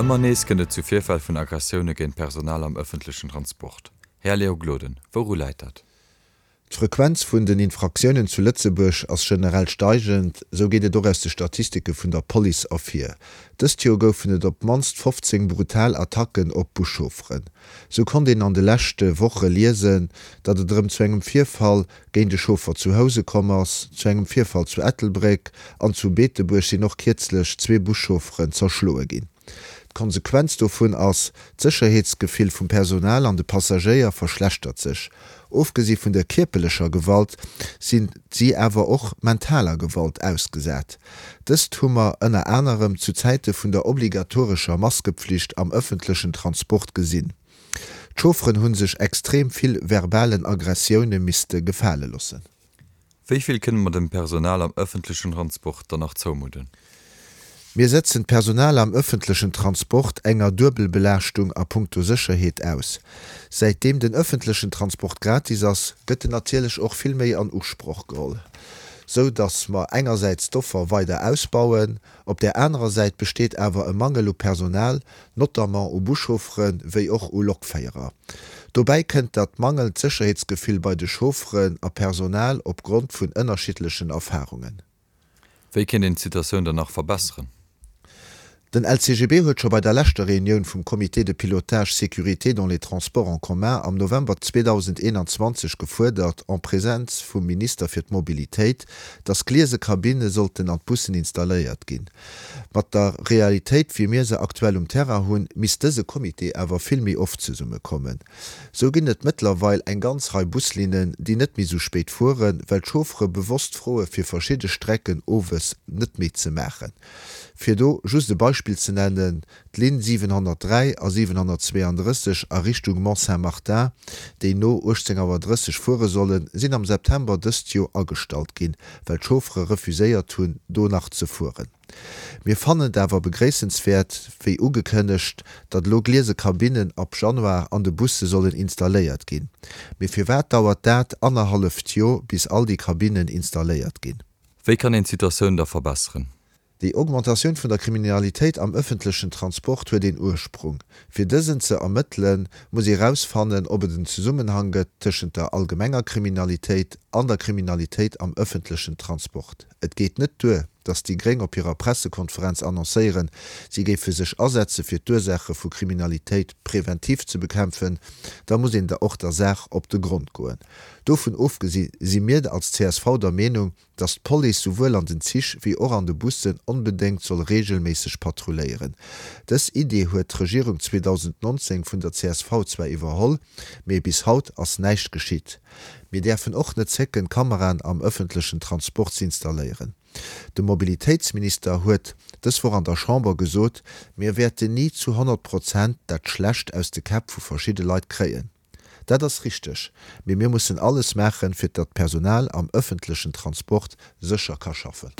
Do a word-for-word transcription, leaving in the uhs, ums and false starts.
Ëmmer nees kënnt et zu Virfäll vun Aggressioune géint Personal am ëffentlechen Transport. Här Léo Gloden, wouru läit dat? D'Frequenz vun den Infraktiounen zu Lëtzebuerg ass generell steigend, sou geet et och aus de Statistike vun der Police ervir. Dëst Joer goufen et op d'mannst fofzéng brutal Attacken op Buschaufferen. Sou konnt een an de leschte Woche liesen, datt et erëm zu engem Virfall géint e Chauffer zu Housen komm ass, zu engem Virfall zu Ettelbréck an zu Beetebuerg sinn och kierzlech zwee Buschaufferen zerschloe ginn. D'Konsequenz dovun ass, D'Sécherheetsgefill vum Personal an de Passagéier verschlechtert sech. Ofgesi vun der kierperlecher Gewalt sinn si awer och mentaler Gewalt ausgesat. Dëst hu mer ënner anerem zu Zäite vun der obligatorescher Maskepflicht am ëffentlechen Transport gesinn. D'Chaufferen hu sech extrem vill verbalen Aggressioune misste gefale loossen. Wéi vill kënne mer dem Personal am ëffentlechen Transport dann nach zoumudden? Mir setzen d'Personal am ëffentlechen Transport enger Duebelbelaaschtung a puncto Sécherheet aus. Säitdeem den ëffentlechen Transport gratis ass, gëtt en natierlech och vill méi an Usproch geholl, sou datt mer engersäits d'Offer weider ausbauen. Op där anerer Säit besteet awer e Mangel u Personal, notamment u Buschauffere wéi och u Lokféierer. Dobäi kënnt dat mangelnd Sécherheetsgefill bei de Chaufferen a Personal opgrond vun ënnerschiddlechen Erfarungen. Wéi kéint een d'Situatioun dann nach verbesseren? Den L C G B huet scho bei der leschter Reunioun vum Comité de pilotage sécurité dans les transports en commun am November zweedausendeenanzwanzeg gefuerdert, en Präsenz vum Minister fir d'Mobilitéit, datt gliese Kabinne sollten an d'Bussen installéiert ginn. Mat der Realitéit, wéi mir se aktuell um Terrain hunn, misst dëse Comité awer vill méi oft zesummekommen. Sou ginn et mëttlerweil eng ganz Rei Buslinnen, déi net méi sou spéit fueren, well d'Chauffere bewosst froe fir verschidde Strecken owes net méi ze maachen. Fir do just e Beispill ze nennen, d'Linn siwenhonnertdräi a siwenhonnertzweeandrësseg a Richtung Mont-Saint-Martin, déi no uechtzéng Auer drësseg fuere sollen, sinn am September dëst Joer agestallt ginn, well d'Chauffere refuséiert hunn, do nach ze fueren. Mir fannen et awer begréissenswäert, wéi ugekënnegt, datt elo gliese Kabinnen ab Januar an de Busse sollen installéiert ginn. Mee firwat dauert dat annerhalleft Joer, bis all déi Kabinnen installéiert ginn? Wéi kann een d'Situatioun da verbesseren? Déi Augmentatioun vun der Kriminalitéit am ëffentlechen Transport huet een Ursprung. Fir dësen ze ermëttelen, muss ee rausfannen, ob et en Zesummenhang gëtt tëschent der allgemenger Kriminalitéit an der Kriminalitéit am ëffentlechen Transport. Et geet net duer, datt déi Gréng op hirer Pressekonferenz annoncéieren, si géife sech asetze fir d'Ursaache vu Kriminalitéit preventiv ze bekämpfen, da muss een der och der Saach op de Grond goen. Dovun ofgesi si mir als C S V der Meenung, datt d'Police souwuel an den Zich wéi och an de Bussen onbedéngt soll reegelméisseg patrulléieren. Dës Idee huet d'Regierung zweedausendnonzéng vun der C S V zwar iwwerholl, mee bis haut ass näischt geschitt. Mir däerfen och net zécken, Kameraen am ëffentlechen Transport ze installéieren. De Mobilitéitsminister huet dës Woch an der Chamber gesot, mir wäerten ni zu honnert Prozent dat Schlecht aus de Käpp vu verschidde Leit kréien. Dat ass richteg, mee mir mussen alles maachen, fir datt d'Personal am ëffentlechen Transport sécher ka schaffen.